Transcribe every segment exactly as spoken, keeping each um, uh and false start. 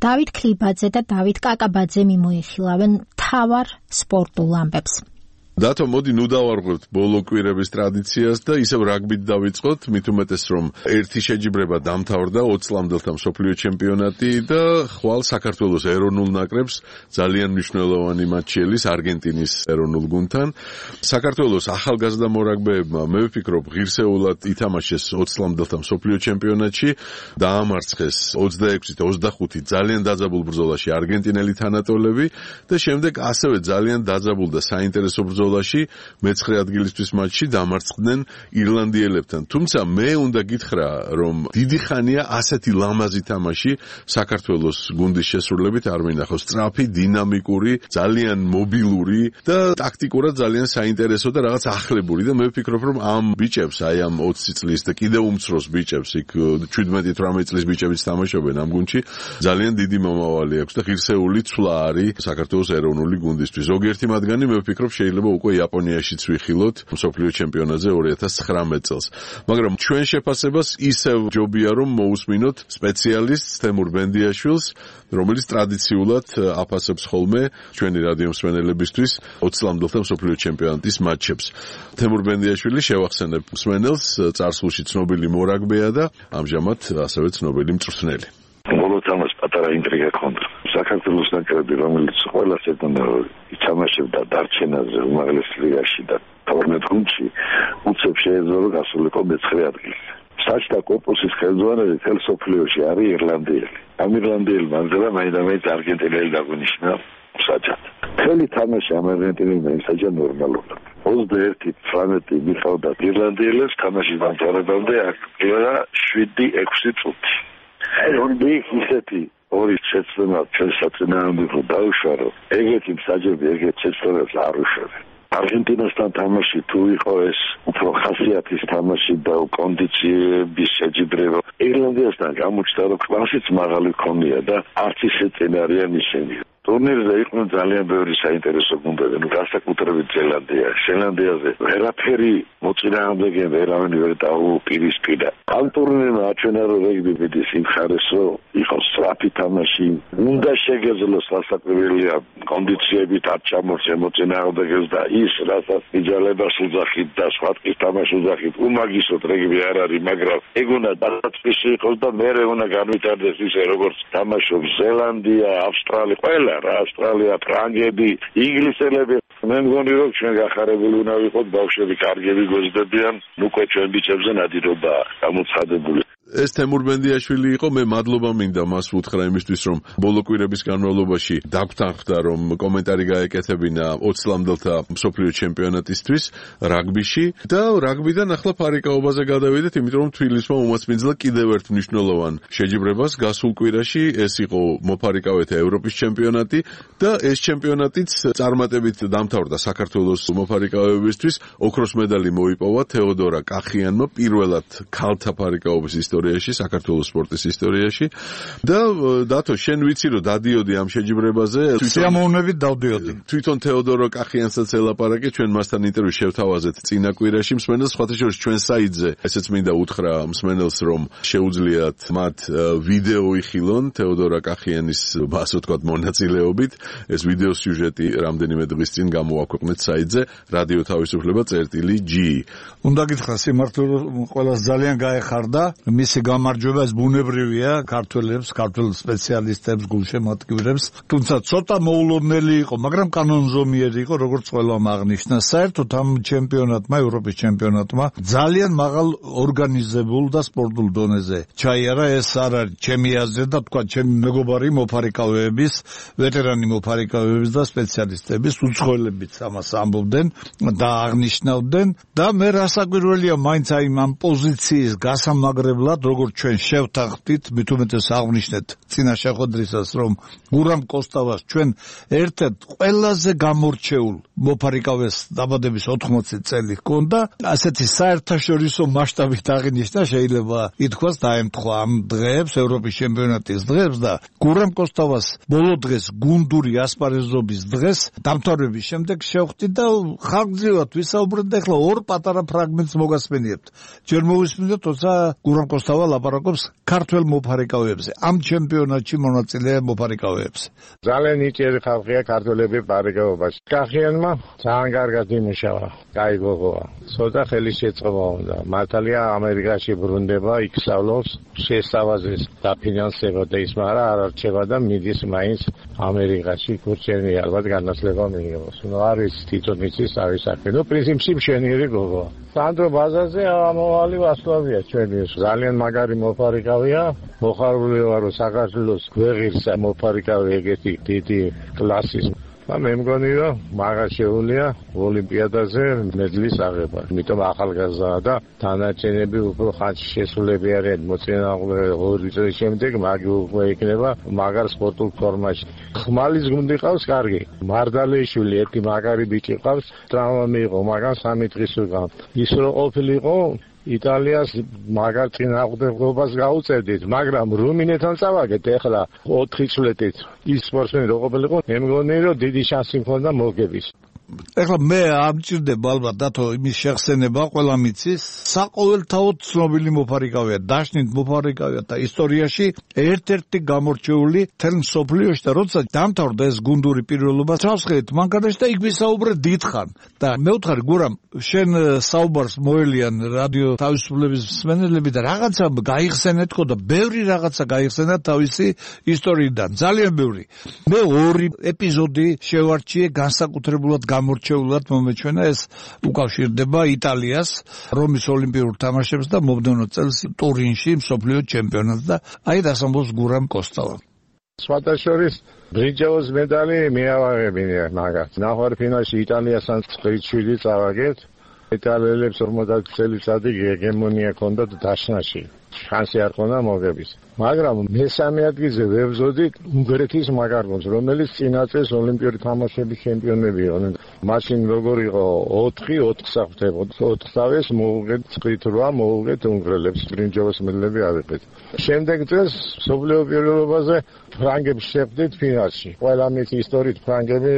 დავით ქლიბაძე და დავით კაკაბაძე მიმოიხილავენ მთავარ სპორტულ ამბებს. დათო, მოდი ნუ დავარღვევთ ბოლო კვირების ტრადიციას და ისევ რაგბით დავიწყოთ, მით უმეტეს რომ ერთი შეჯიბრება დამთავრდა ოცი წლამდელთა მსოფლიო ჩემპიონატი და ხვალ საქართველოს ეროვნულ ნაკრებს ძალიან მნიშვნელოვანი მატჩი ელის არგენტინის ეროვნულ გუნდთან. საქართველოს ახალგაზრდა მორაგბეებმა მე ვფიქრობ ღირსეულად ითამაშეს ოცი წლამდელთა მსოფლიო ჩემპიონატში, დაამარცხეს ოცდაექვსით ოცდახუთი ძალიან დაძაბულ ბრძოლაში არგენტინელი თანატოლები და შემდეგ ასევე ძალიან დაძაბულ და საინტერესო ბრძოლაში მეცხრე ადგილისთვის მატჩში დამარცხდნენ ირლანდიელებთან. თუმცა მე უნდა გითხრა, რომ დიდი ხანია ასეთი ლამაზი თამაში საქართველოს გუნდის შესრულებით არ მინახავს. სწრაფი, დინამიკური, ძალიან მობილური და ტაქტიკურად ძალიან საინტერესო და რაღაც ახლებური და მე ვფიქრობ, რომ ამ ბიჭებს, აი ამ ოცი წლის და კიდევ უმცროს ბიჭებს, იქ შვიდმეტი თვრამეტი წლის ბიჭებიც თამაშობენ ამ გუნდში, ძალიან დიდი მომავალი აქვს და ღირსეული ცვლა არის საქართველოს ეროვნული გუნდისთვის. ზოგიერთი მათგანი მე ვფიქრობ შეიძლება უკვე იაპონიაშიც ვიხილოთ მსოფლიო ჩემპიონატზე ორი ათას ცხრამეტ წელს. მაგრამ ჩვენ შეფასებას ისევ ჯობია რომ მოусმინოთ სპეციალისტს თემურ ბენდიაშვილს, რომელიც ტრადიციულად აფასებს ხოლმე ჩვენი რადიო მსმენელებისთვის ოცი წლამდელთა მსოფლიო ჩემპიონატის მატჩებს. თემურ ბენდიაშვილი შევახსენებ მსმენელს, წარსულში ცნობილი მორაგბეა და ამჟამად ასევე ცნობილი მწვრთნელი. ბოლო თამაშს პატარა ინტრიგა ჰქონდა. საქართველოს ნაკრები, რომელიც ყველას ეთანდა ითამაშებდა დარჩენაზე უმაღლეს ლიგაში და თორმეტ გუნდში, უცებ შეეძლო გასულიყო მეცხრე ადგილი. საჭთა კორპუსის ხელმძღვანელი თელ სოფლიოში არის ირლანდიელი. ამ ირლანდიელმა ამზადა მაინდამაინც არგენტინელი დაგვინიშნა საჭად. მთელი თამაში ამ არგენტინელმა ისაჯა ნორმალურად. ოცდაერთი ცხრამეტი მიყავდა ირლანდიელებს თამაშის დამთავრებამდე აქტიურა შვიდი ექვსი წუთი. ორი ისეთი ორი შეცდომა ჩვენს საწინააღმდეგო დაუშვა, რომ ეგეთი მსაჯები ეგეთ შეცდომებს არ უშვებენ. არგენტინასთან თამაში თუ იყო ეს უფრო ხასიათის თამაში და კონდიციების შეჯიბრება, ირლანდიასთან გამოჩნდა, რომ კლასიც მაღალი ქონია და არც ისე წინარიან ისინი. ტურნირზე იყვნენ ძალიან ბევრი საინტერესო გუნდები, ნუ განსაკუთრებით ზელანდია. ზელანდიაზე ვერაფერი მოწინააღმდეგე ვერავინ ვერ დაუპირისპირა. ამ ტურნირმა აჩვენა, რომ რეგბი მიდის იმ ხარეს, რომ იყოს სწრაფი თამაში, უნდა შეგეძლოს სასაკვირველია კონდიციებით არ ჩამორჩე მოწინააღმდეგეს და ის, რასაც იძალებას უძახით და სხვა ტყის თამაში უძახით, უმაგისოდ რეგბი არ არის, მაგრამ ეგ უნდა დაწესში იყოს და მერე უნდა განვითარდეს ისე, როგორც თამაშობს ზელანდია, ავსტრალია, ყველა რა ავსტრალია, ფრანგები, ინგლისელები. მე მგონი რომ ჩვენ გახარებული უნდა ვიყოთ, ბავშვები კარგები გვეძებიან, უკვე ჩვენ ბიჭებზე ნადირობა გამოცხადებული. ეს თემურ ბენდიაშვილი იყო, მე მადლობა მინდა მას ვუთხრა იმისთვის, რომ ბოლო კვირების განმავლობაში დაგვთანხმდა, რომ კომენტარი გაეკეთებინა ოცი წლამდელთა მსოფლიო ჩემპიონატისთვის რაგბიში და რაგბიდან ახლა ფარიკაობაზე გადავიდეთ, იმიტომ რომ თბილისმა უმასპინძლა კიდევ ერთ მნიშვნელოვან შეჯიბრებას გასულ კვირაში, ეს იყო მოფარიკავეთა ევროპის ჩემპიონატი და ეს ჩემპიონატიც წარმატებით დამთავრდა საქართველოს მოფარიკავებისთვის. ოქროს медаლი მოიპოვა თეოდორა კახიანმა პირველად ქალთა ფარიკაობის ისტორიაში, საქართველოს სპორტის ისტორიაში და დათო, შენ ვიცი რომ დადიოდი ამ შეჯიბრებაზე, სიამოვნებით დავდიოდი. თვითონ თეოდორო კახიანსაც ელაპარაკე, ჩვენ მასთან ინტერვიუ შევთავაზეთ წინა კვირაში მსმენელს, სხვათა შორის ჩვენ საიტზე, ესეც მინდა უთხრა მსმენელს, რომ შეუძლიათ მათ ვიდეო იხილონ თეოდორა კახიანის, ასე ვთქვათ, მონაწილეობით. ეს ვიდეო სიუჟეტი რამდენიმე დღის წინ გამოაქვეყნეთ საიტზე რადიო თავისუფლება წერტილი ჯი. უნდა გითხრა სიმართლე, ყველას ძალიან გაეხარდა მისი გამარჯვება, ეს ბუნებრივია ქართველებს, ქართულ სპეციალისტებს, გულშემატკივრებს, თუმცა ცოტა მოულოდნელი იყო, მაგრამ კანონზომიერი იყო, როგორც ყველამ აღნიშნა. საერთოდ ამ ჩემპიონატმა, ევროპის ჩემპიონატმა ძალიან მაღალ ორგანიზებულ და სპორტულ დონეზე ჩაიარა. ეს არ არის ჩემი აზრი და თქვა ჩემი მეგობარი მოფარიკავეების, ვეტერანი მოფარიკავეების და სპეციალისტების უცხოელებიც ამას ამბობდნენ და აღნიშნავდნენ და მე რასაკვირველია, მაინც აი ამ პოზიციის გასამაგრებლად, როგორც ჩვენ შევთანხმდით, მით უმეტეს აღნიშნეთ წინა შეხვედრისას, რომ გურამ კოსტავას ჩვენ ერთ-ერთ ყველაზე გამორჩეულ მოფარიკავეს დაბადების ოთხმოცი წელი ჰქონდა, ასეთი საერთაშორისო მასშტაბით აღინიშნა, შეიძლება ითქვას დაემთხვა ამ დღეებს, ევროპის ჩემპიონატის დღეებს და გურამ კოსტავას ბოლო დღეს გუნდური ასპარეზობის დღეს დამთავრების შემდეგ შევხვდი და ხანგრძლივად ვისაუბრეთ და ახლა ორ პატარა ფრაგმენტს მოგასმენიებთ. ჯერ მოვისმინეთ, თორსა გურამ კოსტავა ლაპარაკობს ქართველ მოფარიკავეებზე, ამ ჩემპიონატში მონაწილე მოფარიკავეებზე. ძალიან ნიჭიერი ხალხია ქართველები ფარიკაობაში. კახიანმა ძალიან კარგად იმუშავა, კაი გოგოა. ცოტა ხელი შეწყობა უნდა. მართალია ამერიკაში ბრუნდება, იქ სწავლობს, შესწავლაზე დაფინანსებოდა ის, მაგრამ არ არჩევა და მიდის მაინც ამერიკაში ქურჩენი ალბათ განათლება მიიღოს. ნუ არის თვითონ იცის თავის საქმე. ნუ პრინციპში მშვენიერი გოგოა. სანდრო ბაზარზე ამოვალი ვასლავია ჩვენი. ძალიან მაგარი მოფარიკავია. მოხარული ვარო საქართველოს გვეღირს მოფარიკავე ეგეთი დიდი კლასის. და მე მგონი რომ მაგას შეუძლია ოლიმპიადაზე მედლის აღება. იმიტომ ახალგაზრდა და დანარჩენები უფრო ხანში შესულები არიან მოწინააღმდეგე ორი წლის შემდეგ მაგი უკვე იქნება მაგარ სპორტულ ფორმაში. ხმალის გუნდი ყავს კარგი. მარდალეიშვილი ერთი მაგარი ბიჭი ყავს, ტრავმა მიიღო, მაგრამ სამი დღის უკან. ის რო ყოფილიყო იტალიას მაგარ წინააღმდეგობას გაუწევდით, მაგრამ რუმინეთთან წავაგეთ ეხლა ოთხი წლით. ის სპორტსმენი რო ყოფილიყო, მე მგონი რომ დიდი შანსი მქონდა მოგების. ეხლა მე ამჭირდება ალბათ დათო იმის შეხსენება, ყველა მიცის, საყოველთაოდ ცნობილი მოფარიკავეა, დაშნით მოფარიკავეა და ისტორიაში ერთ-ერთი გამორჩეული თელ მსოფლიოში და როცა დამთავრდა ეს გუნდური პირველობა, თავს ხედით მანქანაში და იქ ვისაუბრე დიდხან. და მე ვთხარი გურამ, შენ საუბარს მოელიან რადიო თავისუფლების მსმენელები და რაღაცა გაიხსენეთ ხო და ბევრი რაღაცა გაიხსენა თავისი ისტორიიდან, ძალიან ბევრი. მე ორი ეპიზოდი შევარჩიე განსაკუთრებულად გამორჩეულად მომეჩვენა, ეს უკავშირდება იტალიას რომის ოლიმპიურ თამაშებს და მომდევნო წელს ტურინში მსოფლიო ჩემპიონატს და აი დასამბოს გურამ კოსტავა. სხვათა შორის ბრინჯაოს მედალი მიავაღებინე მაგას. ნახევარფინალში იტალიასთან შვიდი წავაგეთ. იტალიელებს ორმოცდაათი წელიწადი ჰეგემონია ჰქონდათ დაშნაში. შანსი არ ჰქონდა მოგების. მაგრამ მესამე ადგილზე ვებზოდით უნგრეთის მაგარ გუნდს, რომელიც წინა წელს ოლიმპიური თამაშების ჩემპიონები იყვნენ. მაშინ როგორ იყო ოთხი ოთხს აღწევოთ. ოთხსავეს მოუღეთ წყით რვა მოუღეთ უნგრელებს, ბრინჯაოს მედლები ავიღეთ. შემდეგ წელს მსოფლიო პირველობაზე ფრანგებს შეხვდით ფინალში. ყველა მის ისტორიით ფრანგები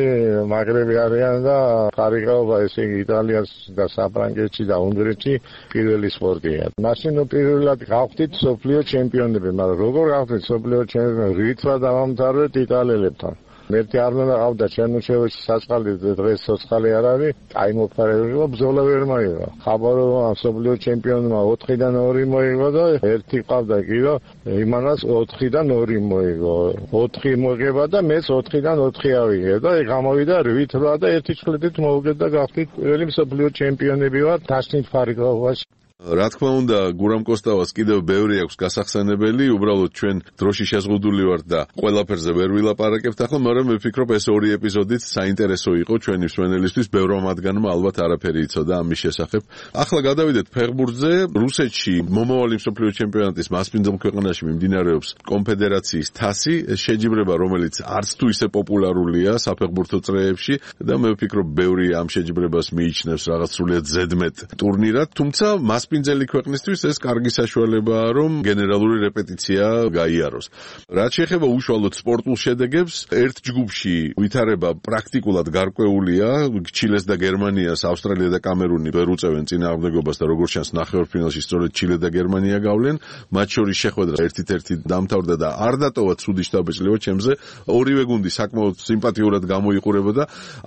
მაგრები არიან და ხარიყაობა ესე იგი იტალიას და საფრანგეთში და უნგრეთში პირველი სპორტია. მაშინ პირველად გავხდით მსოფლიო ჩემპიონები, მაგრამ როგორ გავხდით მსოფლიო ჩემპიონები, რითმა დავამთავრეთ იტალიელებთან. მერტი არ უნდა ყავდა ჩერნოჩევში საწყალი დღეს სოცხალი არ არის, აი მოფარებელო ბრძოლა ვერ მოიგო. ხაბარო მსოფლიო ჩემპიონმა ოთხიდან ორი მოიგო და ერთი ყავდა კი რომ იმანას ოთხიდან ორი მოიგო. ოთხი მოგება და მეც ოთხიდან ოთხი ავიღე და გამოვიდა რვით რვა და ერთი წლით მოვუგეთ და გავხდით პირველი მსოფლიო ჩემპიონები ვარ დაშნით ფარიკაობაში. რა თქმა უნდა, გურამ კოსტავას კიდევ ბევრი აქვს გასახსენებელი, უბრალოდ ჩვენ დროში შეზღუდული ვართ და ყველაფერზე ვერ ვილაპარაკებთ ახლა, მაგრამ მე ვფიქრობ ეს ორი ეპიზოდიც საინტერესო იყო ჩვენი მსმენელისთვის, ბევრმა მათგანმა ალბათ არაფერი იცოდა ამის შესახებ. ახლა გადავიდეთ ფეხბურთზე. რუსეთში მომავალი მსოფლიო ჩემპიონატის მასპინძელ ქვეყანაში მიმდინარეობს კონფედერაციის თასი, ეს შეჯიბრება, რომელიც არც თუ ისე პოპულარულია საფეხბურთო წრეებში და მე ვფიქრობ ბევრი ამ შეჯიბრებას მიიჩნევს რაღაც სრულიად ზედმეტ ტურნირად, თუმცა მასპინძელი ქვეყნისთვის ეს კარგი საშუალებაა, რომ გენერალური რეპეტიცია გაიაროს. რაც შეეხება უშუალოდ სპორტულ შედეგებს, ერთ ჯგუფში ვითარება პრაქტიკულად გარკვეულია, ჩილეს და გერმანიას ავსტრალია და კამერუნი ვერ უწევენ წინააღმდეგობას და როგორც ჩანს ნახევარფინალში სწორედ ჩილე და გერმანია გავლენ, მათ შორის შეხვედრა ერთით-ერთი დამთავრდა და არ დატოვა ცუდი შთაბეჭდილება ჩემზე, ორივე გუნდი საკმაოდ სიმპათიურად გამოიყურებოდა.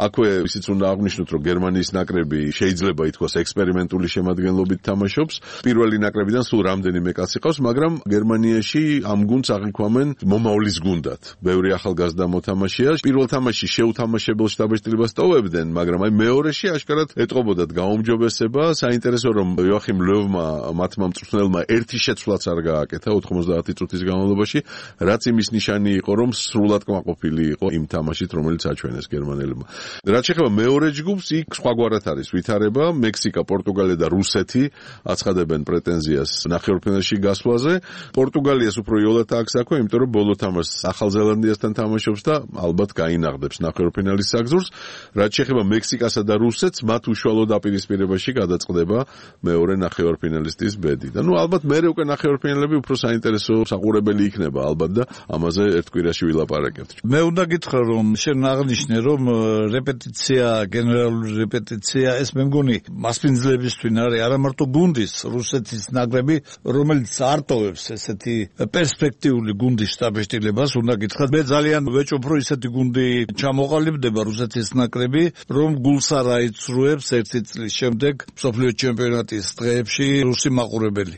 აქვე ისიც უნდა აღვნიშნოთ, რომ გერმანიის ნაკრები შეიძლება ითქვას ექსპერიმენტული შემადგენლობით თამაშობს. პირველი ნაკრებიდან სულ რამდენიმე კაცი ყავს, მაგრამ გერმანიაში ამ გუნდს აღიქვამენ მომავლის გუნდად. ბევრი ახალგაზრდა მოთამაშეა. პირველ თამაშში შეუთამაშებელ შთაბეჭდილებას ტოვებდნენ, მაგრამ აი მეორეში აშკარად ეტყობოდათ გაუმჯობესება. საინტერესო რომ იოახიმ ლევმა მათმა მწვრთნელმა ერთი შეცვლაც არ გააკეთა ოთხმოცდაათი წუთის განმავლობაში, რაც იმის ნიშანი იყო, რომ სრულად კმაყოფილი იყო იმ თამაშით, რომელიც აჩვენეს გერმანელებმა. რაც შეეხება მეორე ჯგუფს, იქ სხვაგვარად არის ვითარება. მექსიკა, პორტუგალია და რუსეთი აცხადებენ პრეტენზიას ნახევარფინალში გასვლაზე. პორტუგალიას უფრო იოლად აქვს აქვე, იმიტომ რომ ბოლო თამაშს ახალ ზელანდიასთან თამაშობს და ალბათ გაინაღდებს ნახევარფინალის საგზურს. რაც შეეხება მექსიკასა და რუსეთს, მათ უშუალო დაპირისპირებაში გადაწყდება მეორე ნახევარფინალისტის ბედი. და ნუ ალბათ მერე უკვე ნახევარფინალები უფრო საინტერესო საყურებელი იქნება ალბათ და ამაზე ერთ კვირაში ვილაპარაკებთ. მე უნდა გითხრა რომ შენ აღნიშნე რომ რეპეტიცია, გენერალური რეპეტიცია ეს მე მგონი მასპინძლებისთვის არის არა მარტო გუნდის რუსეთის ნაკრები, რომელიც არტოვებს ესეთი პერსპექტიული გუნდის შტაბ-შტილებას, უნდა გითხრათ, მე ძალიან ვეჭობ, რომ ესეთი გუნდი ჩამოყალიბდება რუსეთის ნაკრები, რომ გულს არ აიცრუებს ერთი წლის შემდეგ მსოფლიო ჩემპიონატის დღეებში რუსი მაყურებელი.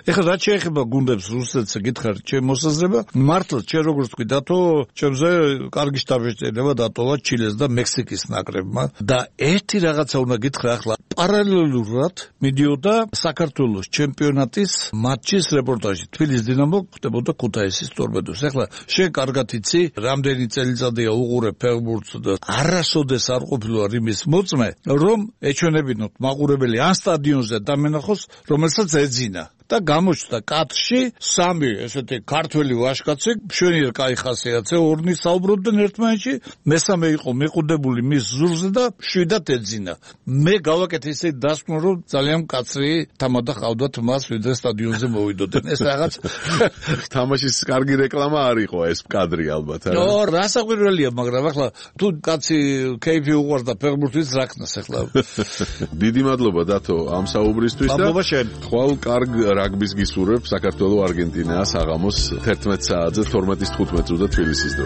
ეხლა რაც შეეხება გუნდებს რუსეთს გითხარ, ჩემ მოსაზრება, მართლა ჩვენ როგორც თქვი დათო, ჩემზე კარგი შტაბ-შტილება დატოვა ჩილეს და მექსიკის ნაკრებმა და ერთი რაღაცა უნდა გითხრა ახლა პარალელურად მიდიოდა საქართველოს ჩემპიონატის მატჩის რეპორტაჟი. თბილისის დინამო ხდებოდა ქუთაისის ტორპედოს. ახლა შენ კარგად იცი, რამდენი წელიწადია უყურებ ფეხბურთს და არასოდეს არ ყოფილა იმის მოწმე, რომ ეჩვენებინოთ მაყურებელი ან სტადიონზე დამენახოს, რომელსაც ეძინა. და გამოჩნდა კადრში სამი ესეთი ქართველი ვაჟკაცი, მშვენიერ კაი ხასიათზე, ორნი საუბრობდნენ ერთმანეთში, მესამე იყო მიყუდებული მის ზურზე და შვიდად ეძინა. მე გავაკეთე ისე დასკვნა, რომ ძალიან მკაცრი თამადა ყავდათ მას, ვიდრე სტადიონზე მოვიდოდნენ. ეს რაღაც თამაშის კარგი რეკლამა არ იყო ეს კადრი ალბათ, არა? ნო, რასაკვირველია, მაგრამ ახლა თუ კაცი კეიფი უყვარს და ფეხბურთის რაკნას ახლა. დიდი მადლობა დათო ამ საუბრისთვის და მადლობა შენ. ხვალ კარგ რაგბის გისურვებ საქართველოს არგენტინას საღამოს თერთმეტ საათზე თორმეტ თხუთმეტ წუთზე თბილისის დრო.